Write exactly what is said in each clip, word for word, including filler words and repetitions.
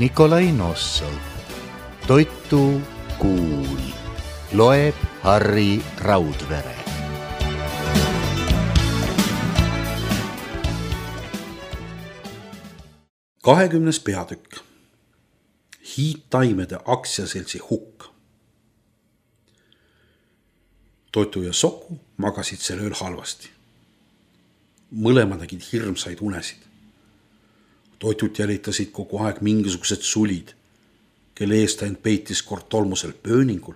Nikolai Nossov. Toitu kuul. Loeb Harri Raudvere. kahekümnes peatükk. Hiidtaimede aktsiaseltsi hukk. Toitu ja Soku magasid sel ööl halvasti. Mõlema nägid hirmsaid unesid. Toitut jälitasid kogu aeg mingisugused sulid, kelle eest end peitis kord tolmusel pööningul,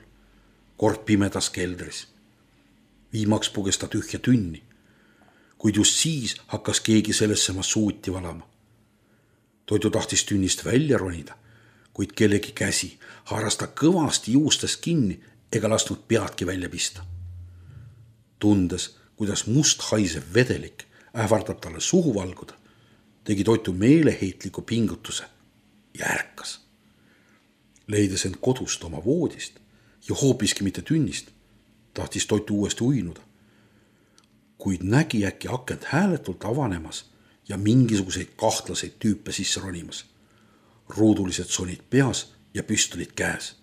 kord pimedas keldris. Viimaks puges ta tühja tünni, kuid just siis hakkas keegi sellesse massuuti valama. Toitu tahtis tünnist välja ronida, kuid kellegi käsi haaras ta kõvasti juustest kinni ega lasknud peadki välja pista. Tundes, kuidas must haisev vedelik ähvardab talle suhu valguda, tegi Toitu meeleheitliku pingutuse ja ärkas. Leides end kodust oma voodist ja hoopiski mitte tünnist, tahtis Toitu uuesti uinuda, kuid nägi äkki akent hääletult avanemas ja mingisuguseid kahtlaseid tüüpe sisse ronimas. Ruudulised sonid peas ja püstolid käes.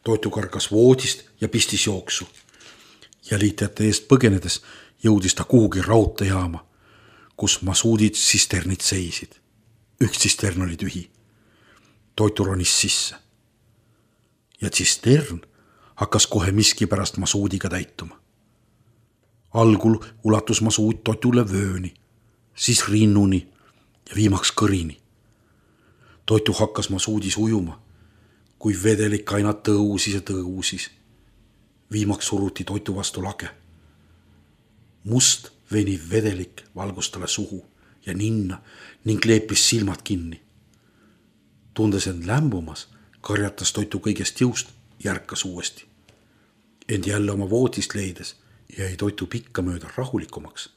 Toitu kargas voodist ja pistis jooksu. Jälitajate eest põgenedes jõudis ta kuhugi raudteejaama, kus masuudid tsisternid seisid. Üks tsistern oli tühi. Toitu ronis sisse. Ja tsistern hakkas kohe miski pärast masuudiga täituma. Algul ulatus masuud Toitule vööni, siis rinnuni ja viimaks kõrini. Toitu hakkas masuudis ujuma, kui vedelik aina tõusis ja tõusis. Viimaks suruti Toitu vastu lage. Must veniv vedelik valgus talle suhu ja ninna ning leepis silmad kinni. Tundes end lämbumas, karjatas Toitu kõigest jõust ja ärkas uuesti. End jälle oma voodist leides jäi Toitu pikka mööda rahulikumaks,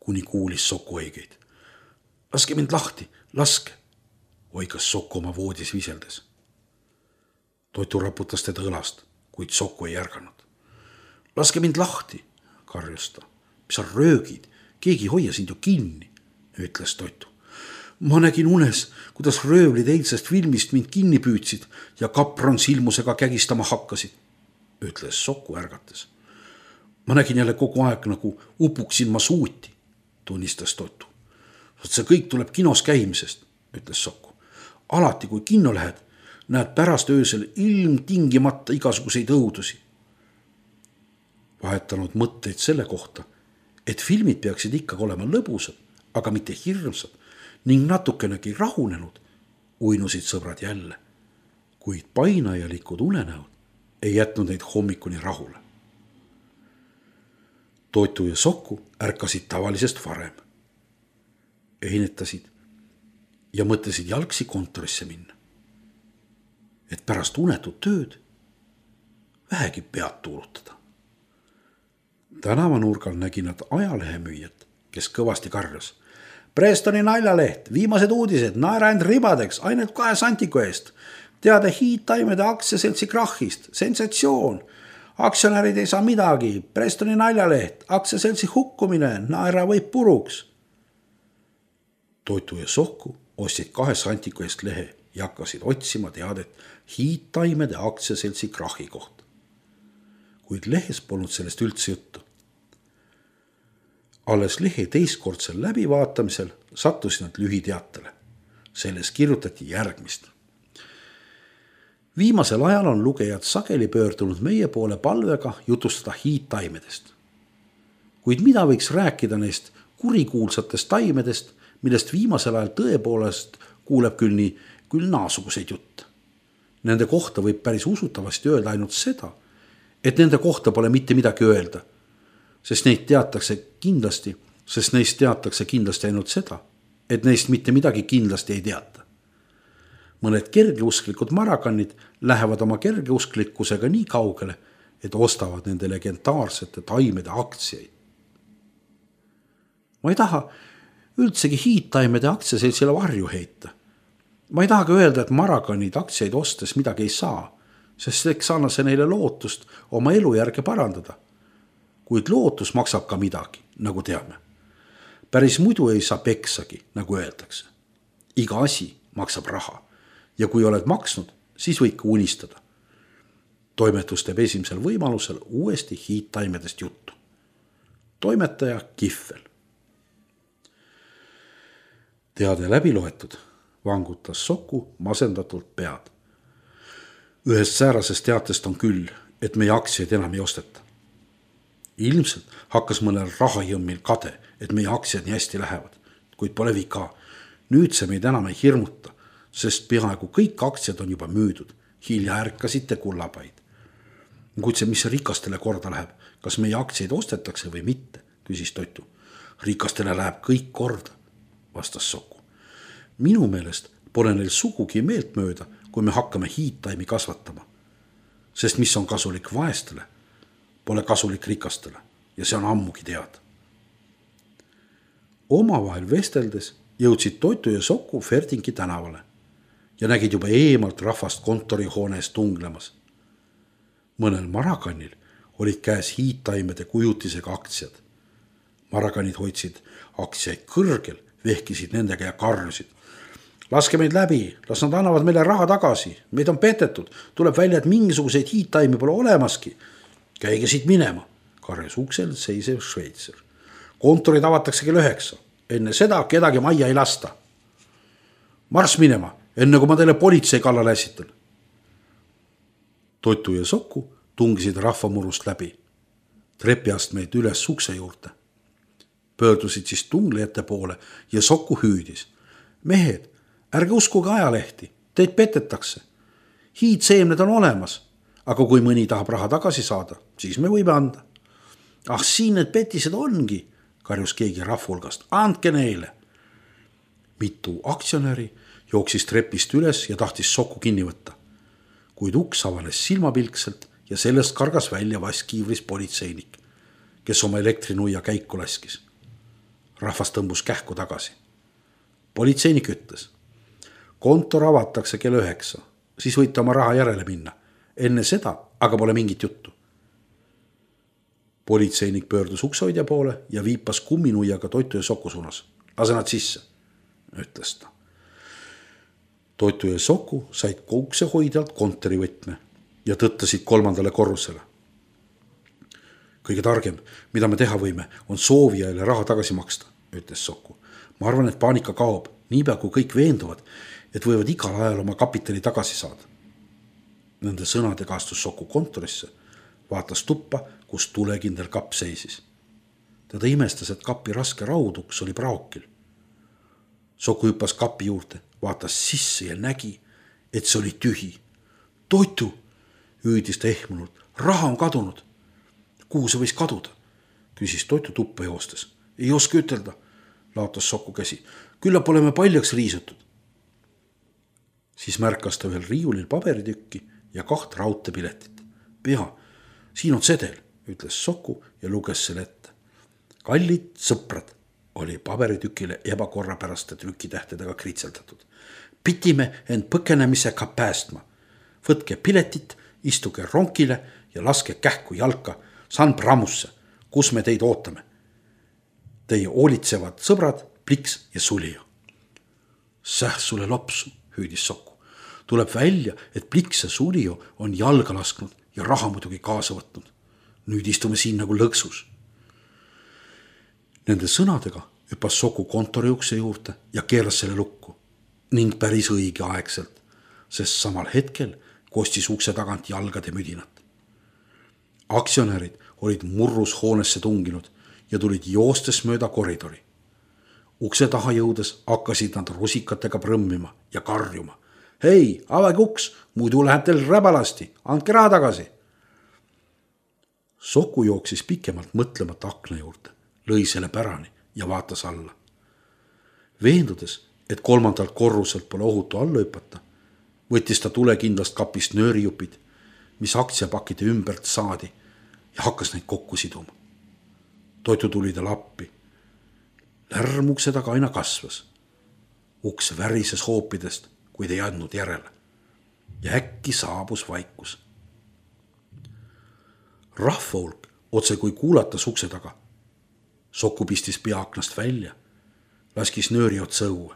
kuni kuulis Soku õigeid. Laske mind lahti, laske, oigas Soku oma voodis viseldes. Toitu raputas teda õlast, kuid Soku ei ärganud. Laske mind lahti, karjus ta. Mis sa röögid, keegi hoia sind ju kinni, ütles Toitu. Ma nägin unes, kuidas röövlid eilsest filmist mind kinni püüdsid ja kapron silmusega kägistama hakkasid, ütles Soku ärgates. Ma nägin jälle kogu aeg nagu upuksin ma suuti, tunnistas Toitu. See kõik tuleb kinos käimisest, ütles Soku. Alati kui kinno lähed, näed pärast öösel ilmtingimata igasuguseid õudusi. Vahetanud mõtteid selle kohta, et filmid peaksid ikkagi olema lõbusad, aga mitte hirmsad ning natukenegi rahunenud, uinusid sõbrad jälle, kuid painajalikud unenäod ei jätnud neid hommikuni rahule. Toitu ja Soku ärkasid tavalisest varem. Einetasid ja mõtlesid jalgsi kontorisse minna, et pärast unetut tööd vähegi pead tuulutada. Tänavanurgal nägi nad ajalehemüüjat, kes kõvasti karjas. Prestoni naljaleht, viimased uudised, naera end ribadeks, ainult kahe santiku eest. Teade hiidtaimede aktsiaseltsi krahhist, sensatsioon. Aktsionärid ei saa midagi, Prestoni naljaleht, aktsiaseltsi hukkumine, naera võib puruks. Toitu ja Soku ostsid kahe santiku eest lehe ja hakkasid otsima teadet hiidtaimede aktsiaseltsi krahhi kohta. Kuid lehes polnud sellest üldse juttu. Alles lehe teistkordsel läbivaatamisel sattusid nad lühiteatele. Selles kirjutati järgmist. Viimasel ajal on lugejad sageli pöördunud meie poole palvega jutustada hiidtaimedest. Kuid mida võiks rääkida neist kurikuulsatest taimedest, millest viimasel ajal tõepoolest kuuleb küll nii, küll naasuguseid jutte. Nende kohta võib päris usutavasti öelda ainult seda, et nende kohta pole mitte midagi öelda, sest neid teatakse kindlasti, sest neist teatakse kindlasti ainult seda, et neist mitte midagi kindlasti ei teata. Mõned kergeusklikud marakannid lähevad oma kergeusklikkusega nii kaugele, et ostavad nende legendaarsete taimede aktsiaid. Ma ei taha üldsegi hiidtaimede aktsiaseltsile varju heita. Ma ei taha ka öelda, et marakannid aktsiaid ostes midagi ei saa, sest eks anna see neile lootust oma elu järge parandada. Kuid lootus maksab ka midagi, nagu teame. Päris muidu ei saa peksagi, nagu öeldakse. Iga asi maksab raha ja kui oled maksnud, siis võid ka unistada. Toimetus teeb esimesel võimalusel uuesti hiidtaimedest juttu. Toimetaja Kihvel. Teade läbi loetud, vangutas Soku masendatult pead. Ühest säärasest teatest on küll, et meie aktsiaid enam ei osteta. Ilmselt hakkas mõnel rahajõmmil kade, et meie aktsiad nii hästi lähevad, kuid pole vika. Nüüd see meid enam ei hirmuta, sest peaaegu kõik aktsiad on juba müüdud. Hilja ärkasite kullapaid. Kuid see, mis rikastele korda läheb, kas meie aktsiaid ostetakse või mitte, küsis Toitu. Rikastele läheb kõik korda, vastas Soku. Minu meelest pole neil sugugi meelt mööda, kui me hakkame hiidtaimi kasvatama. Sest mis on kasulik vaestele, pole kasulik rikastele ja see on ammugi teada. Omavahel vesteldes jõudsid Toitu ja Soku Ferdingi tänavale ja nägid juba eemalt rahvast kontorihoones tunglemas. Mõnel Marakannil olid käes hiidtaimede kujutisega aktsiad. Marakanid hoidsid aktsiaid kõrgel, vehkisid nendega ja karjusid. Laske meid läbi, las nad annavad meile raha tagasi, meid on petetud, tuleb välja, et mingisuguseid hiidtaimi pole olemaski. Käige siit minema, karjus uksel seisev Šveitser. Kontorid avatakse kell üheksa, enne seda kedagi majja ei lasta. Marss minema, enne kui ma teile politsei kallale äsitan. Toitu ja Soku tungisid rahvamurust läbi. Trepiastmeid üles ukse juurde. Pöördusid siis tunglejate poole ja Soku hüüdis. Mehed, ärge uskuge ajalehti, teid petetakse. Hiidseemned on olemas, aga kui mõni tahab raha tagasi saada, siis me võime anda. Ah, siin need petised ongi, karjus keegi rahvulgast. Andke neile. Mitu aktsionäri jooksis trepist üles ja tahtis Soku kinni võtta. Kuid uks avanes silmapilkselt ja sellest kargas välja vaskiivris politseinik, kes oma elektrinuia käiku laskis. Rahvas tõmbus kähku tagasi. Politseinik ütles. Kontor avatakse kell üheksa, siis võite oma raha järele minna. Enne seda aga pole mingit juttu. Politseinik pöördus uksehoidja poole ja viipas kumminuiaga Toitu ja Soku suunas. Lase nad sisse, ütles ta. Toitu ja Soku said uksehoidjalt kontorivõtme ja tõttasid kolmandale korrusele. Kõige targem, mida me teha võime, on soovijaile raha tagasi maksta, ütles Soku. Ma arvan, et paanika kaob, niipea kui kõik veenduvad, et võivad igal ajal oma kapitali tagasi saada. Nende sõnadega astus Soku kontorisse, vaatas tuppa, kus tulekindel kapp seisis. Teda imestas, et kapi raske rauduks oli praokil. Soku hüppas kapi juurde, vaatas sisse ja nägi, et see oli tühi. Toitu, hüüdis ta ehmunult, raha on kadunud. Kuhu see võis kaduda? Küsis Toitu tuppa joostes. Ei oska ütelda, laotas Soku käsi. Küllap oleme paljaks riisutud. Siis märkas ta ühel riiulil paberitükki ja kaht raudteepiletit. Pea, siin on sedel, ütles Soku ja luges selle ette. Kallid sõprad, oli paberitükile ebakorrapäraste trükitähtedega kritseldatud. Pitime end põkenemisega päästma. Võtke piletit, istuge ronkile ja laske kähku jalka San Pramusse, kus me teid ootame. Teie hoolitsevad sõbrad, Pliks ja Sulio. Säh sulle lopsu, hüüdis Soku. Tuleb välja, et Pliks ja Sulio on jalga lasknud ja raha muidugi kaasa võtnud. Nüüd istume siin nagu lõksus. Nende sõnadega hüppas Soku kontori ukse juurde ja keeras selle lukku ning päris õige aegselt, sest samal hetkel kostis ukse tagant jalgade müdinat. Aktsionärid olid murrus hoonesse tunginud ja tulid joostes mööda koridori. Ukse taha jõudes hakkasid nad rusikatega prõmmima ja karjuma. Hei, avage uks, muidu läheb teil räbalasti, andke raha tagasi. Soku jooksis pikemalt mõtlemata akna juurde, lõi selle pärani ja vaatas alla. Veendudes, et kolmandalt korruselt pole ohutu alla hüpata, võttis ta tulekindlast kapist nöörijupid, mis aktsiapakide ümbert saadi ja hakkas neid kokku siduma. Toitu tuli ta lappi. Lärm ukse taga aina kasvas. Uks värises hoopidest, kuid ei andnud järele. Ja äkki saabus vaikus. Rahvahulk otse kui kuulatas ukse taga. Soku pistis pea aknast välja, laskis nööri otsa õue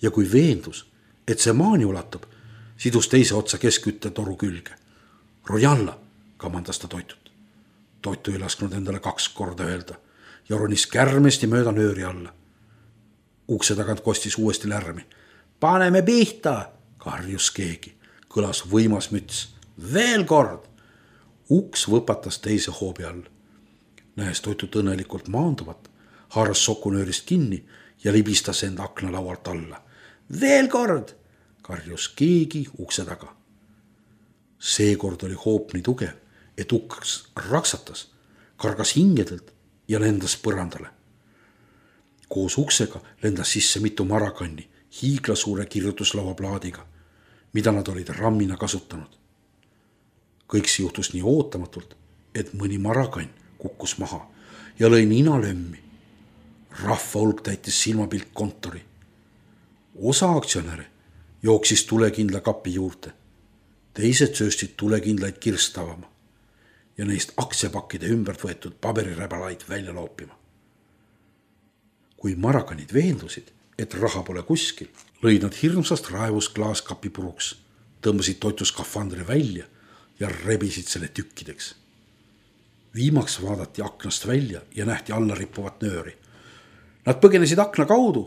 ja kui veendus, et see maani ulatub, sidus teise otsa keskküttetoru külge. Rojalla, kamandas ta Toitut. Toitu ei lasknud endale kaks korda öelda ja ronis kärmesti mööda nööri alla. Ukse tagant kostis uuesti lärmi. Paneme pihta, karjus keegi. Kõlas võimas müts. Veel kord! Uks võpatas teise hoobi all. Nähes Toitut õnnelikult maanduvat, haaras sokunöörist kinni ja libistas enda aknalaualt alla. Veel kord! Karjus keegi ukse taga. Seekord oli hoop nii tugev, et uks raksatas, kargas hingedelt ja lendas põrandale. Koos uksega lendas sisse mitu marakanni hiiglasuure kirjutuslaua plaadiga, mida nad olid rammina kasutanud. Kõik see juhtus nii ootamatult, et mõni marakann kukkus maha ja lõi nina lömmi. Rahva hulk täitis silmapilt kontori. Osa aktsionäre jooksis tulekindla kapi juurde. Teised sööstid tulekindlaid kirstavama ja neist aktsiapakkide ümbert võetud paberiräbalaid välja loopima. Kui marakanid veendusid, et raha pole kuskil, lõid nad hirmsast raevust klaaskapi puruks, tõmbasid Toitu skafandri välja ja rebisid selle tükkideks. Viimaks vaadati aknast välja ja nähti alla rippuvat nööri. Nad põgenesid akna kaudu,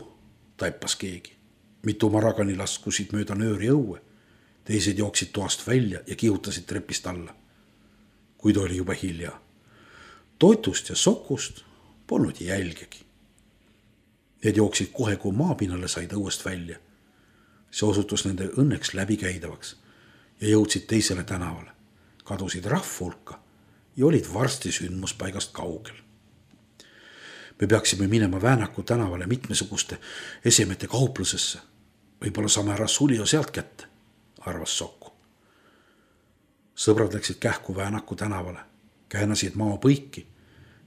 taipas keegi. Mitu marakani laskusid mööda nööri õue. Teised jooksid toast välja ja kihutasid trepist alla. Kuid oli juba hilja. Toitust ja sokust polnud jälgegi. Need jooksid kohe, kui maapinnale said õuest välja. See osutus nende õnneks läbikäidavaks ja jõudsid teisele tänavale. Kadusid rahva hulka ja olid varsti sündmuspaigast kaugel. Me peaksime minema Väänaku tänavale mitmesuguste esemete kauplusesse. Võib-olla saame ära Sulio sealt kätte, arvas Sokku. Sõbrad läksid kähku Väänaku tänavale, käänasid maa põiki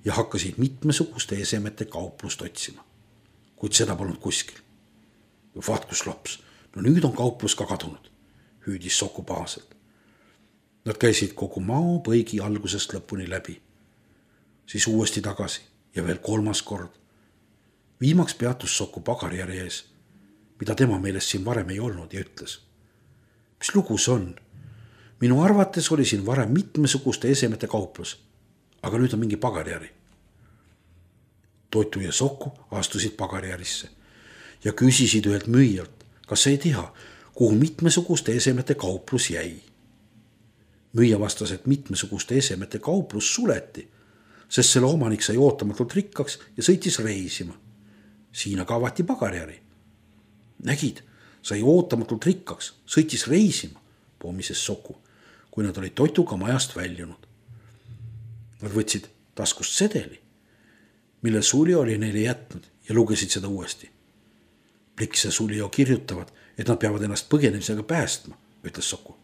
ja hakkasid mitmesuguste esemete kauplust otsima. Kuid seda polnud kuskil. Vaat kus lops, no nüüd on kauplus ka kadunud, hüüdis Sokku pahaselt. Nad käisid kogu maa põigi algusest lõpuni läbi, siis uuesti tagasi ja veel kolmas kord. Viimaks peatus Sokku pagarjärje ees, mida tema meelest siin varem ei olnud ja ütles. Mis lugu see on? Minu arvates oli siin varem mitmesuguste esemete kauplus, aga nüüd on mingi pagarjäri. Toitu ja Sokku astusid pagarjärisse ja küsisid ühelt müüjalt, kas ei tea, kuhu mitmesuguste esemete kauplus jäi. Müüja vastas, et mitmesuguste esemete kauplus suleti, sest selle omanik sai ootamatult rikkaks ja sõitis reisima. Siin aga avati pagarjäri. Nägid, sai ootamatult rikkaks, sõitis reisima, poomises Sokku, kui nad olid Toituga majast väljunud. Nad võtsid taskust sedeli, mille Sulio oli neile jätnud ja lugesid seda uuesti. Pliks ja Sulio kirjutavad, et nad peavad ennast põgenemisega päästma, ütles Sokku.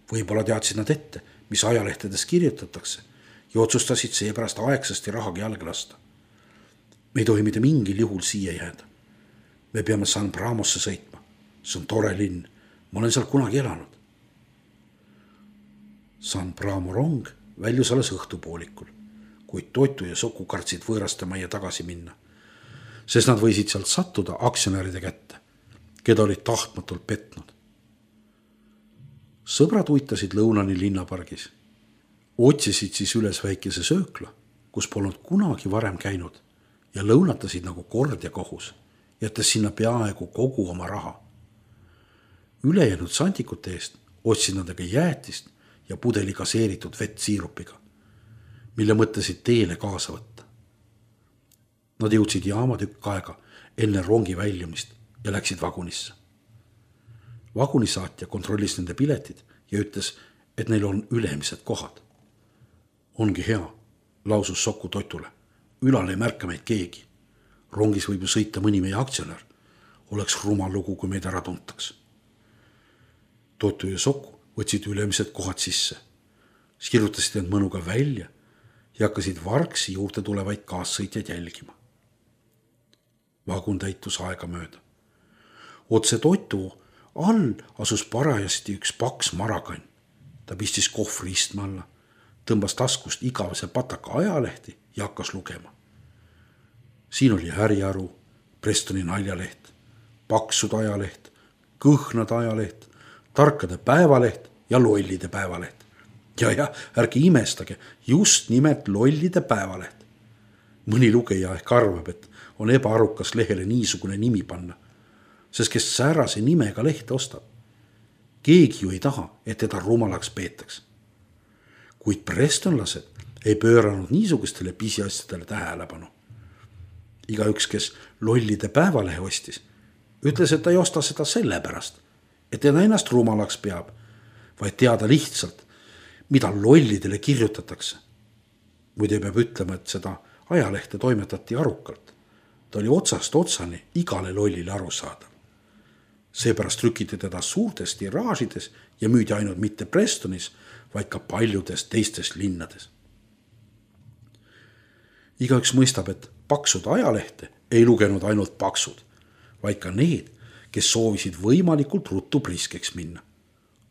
Võib-olla teadsid nad ette, mis ajalehtedes kirjutatakse ja otsustasid seepärast aegsasti rahagi jalge lasta. Me ei tohi mitte mingil juhul siia jääda. Me peame San Bramosse sõitma. See on tore linn. Ma olen seal kunagi elanud. San Bramo rong väljus alles õhtupoolikul, kuid Toitu ja Sokku kartsid võõraste majja tagasi minna, sest nad võisid sealt sattuda aktsionäride kätte, keda olid tahtmatult petnud. Sõbrad uitasid lõunani linnapargis. Otsisid siis üles väikese söökla, kus polnud kunagi varem käinud ja lõunatasid nagu kord ja kohus, jättes sinna peaaegu kogu oma raha. Ülejäänud santikute eest otsid nad aga jäätist ja pudeli gaseeritud vett siirupiga, mille mõtlesid teele kaasa võtta. Nad jõudsid jaama tükk aega enne rongi väljumist ja läksid vagunisse. Vagunisaatja kontrollis nende piletid ja ütles, et neil on ülemised kohad. Ongi hea, lausus Sokku Toitule. Ülal ei märka meid keegi. Rongis võib ju sõita mõni meie aktsionär. Oleks rumal lugu, kui meid ära tuntaks. Toitu ja Sokku võtsid ülemised kohad sisse. Sirutasid end mõnuga välja ja hakkasid vargsi juurde tulevaid kaassõitjaid jälgima. Vagun täitus aega mööda. Otse Toitu all asus parajasti üks paks marakann. Ta pistis kohvri istme alla, tõmbas taskust igavese pataka ajalehti ja hakkas lugema. Siin oli Häriaru, Prestoni naljaleht, paksud ajaleht, kõhnade ajaleht, tarkade päevaleht ja lollide päevaleht. ja, ja ärge imestage, just nimelt lollide päevaleht. Mõni lugeja ehk arvab, et on ebaarukas lehele niisugune nimi panna, sest kes säärase nimega lehte ostab. Keegi ju ei taha, et teda rumalaks peetaks. Kuid prestonlased ei pööranud niisugustele pisiasjadele tähelepanu. Igaüks, kes lollide päevalehe ostis, ütles, et ta ei osta seda sellepärast, et teda ennast rumalaks peab, vaid teada lihtsalt, mida lollidele kirjutatakse. Muide peab ütlema, et seda ajalehte toimetati arukalt. Ta oli otsast otsani igale lollile aru saada. Seepärast trükiti teda suurtes tiraažides ja müüdi ainult mitte Prestonis, vaid ka paljudes teistes linnades. Igaüks mõistab, et paksud ajalehte ei lugenud ainult paksud, vaid ka need, kes soovisid võimalikult ruttu priskeks minna.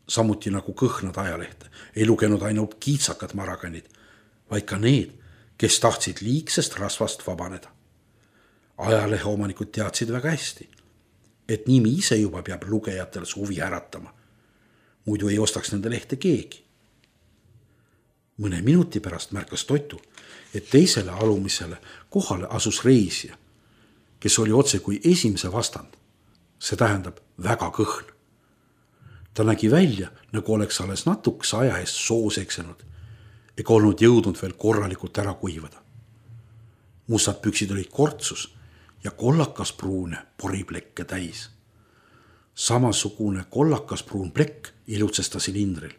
Samuti nagu kõhnad ajalehte ei lugenud ainult kiitsakad maraganid, vaid ka need, kes tahtsid liigsest rasvast vabaneda. Ajalehe omanikud teadsid väga hästi, et nimi ise juba peab lugejatel suvi äratama. Muidu ei ostaks nende lehte keegi. Mõne minuti pärast märkas Toitu, et teisele alumisele kohale asus reisija, kes oli otse kui esimese vastand. See tähendab väga kõhn. Ta nägi välja, nagu oleks alles natukese aja eest soos eksenud, ega olnud jõudnud veel korralikult ära kuivada. Mustad püksid olid kortsus ja kollakas pruune poriplekke täis. Samasugune kollakas pruun plekk ilutses ta silindril,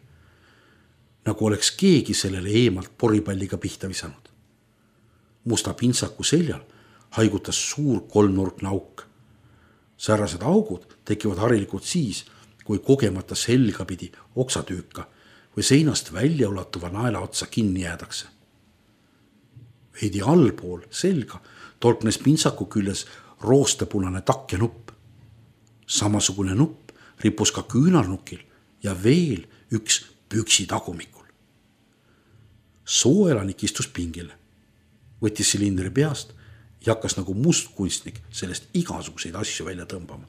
nagu oleks keegi sellele eemalt poripalliga pihta visanud. Musta pintsaku seljal haigutas suur kolmnurkne auk. Säärased augud tekivad harilikult siis, kui kogemata selga pidi oksatüüka või seinast välja ulatuva naela otsa kinni jäädakse. Veidi allpool selga tolknes pintsaku küljes roostepunane takk ja nupp. Samasugune nupp rippus ka küünarnukil ja veel üks püksi tagumikul. Sooelanik istus pingile, võttis silindri peast ja hakkas nagu mustkunstnik sellest igasuguseid asju välja tõmbama.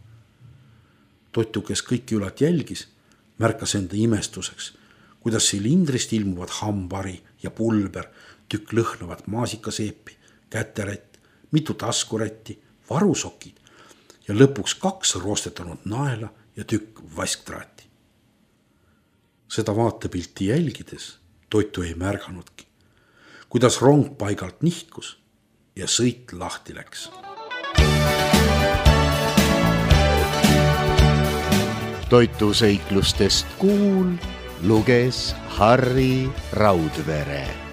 Totu, kes kõiki ülat jälgis, märkas enda imestuseks, kuidas silindrist ilmuvad hambari ja pulber, tükk lõhnavat maasikaseepi, käterätt, mitu taskurätti, varusokid ja lõpuks kaks roostetanud naela ja tükk vasktraati. Seda vaatepilti jälgides Toitu ei märganudki, kuidas rong paigalt nihkus ja sõit lahti läks. Toitu seiklustest kuul luges Harri Raudvere.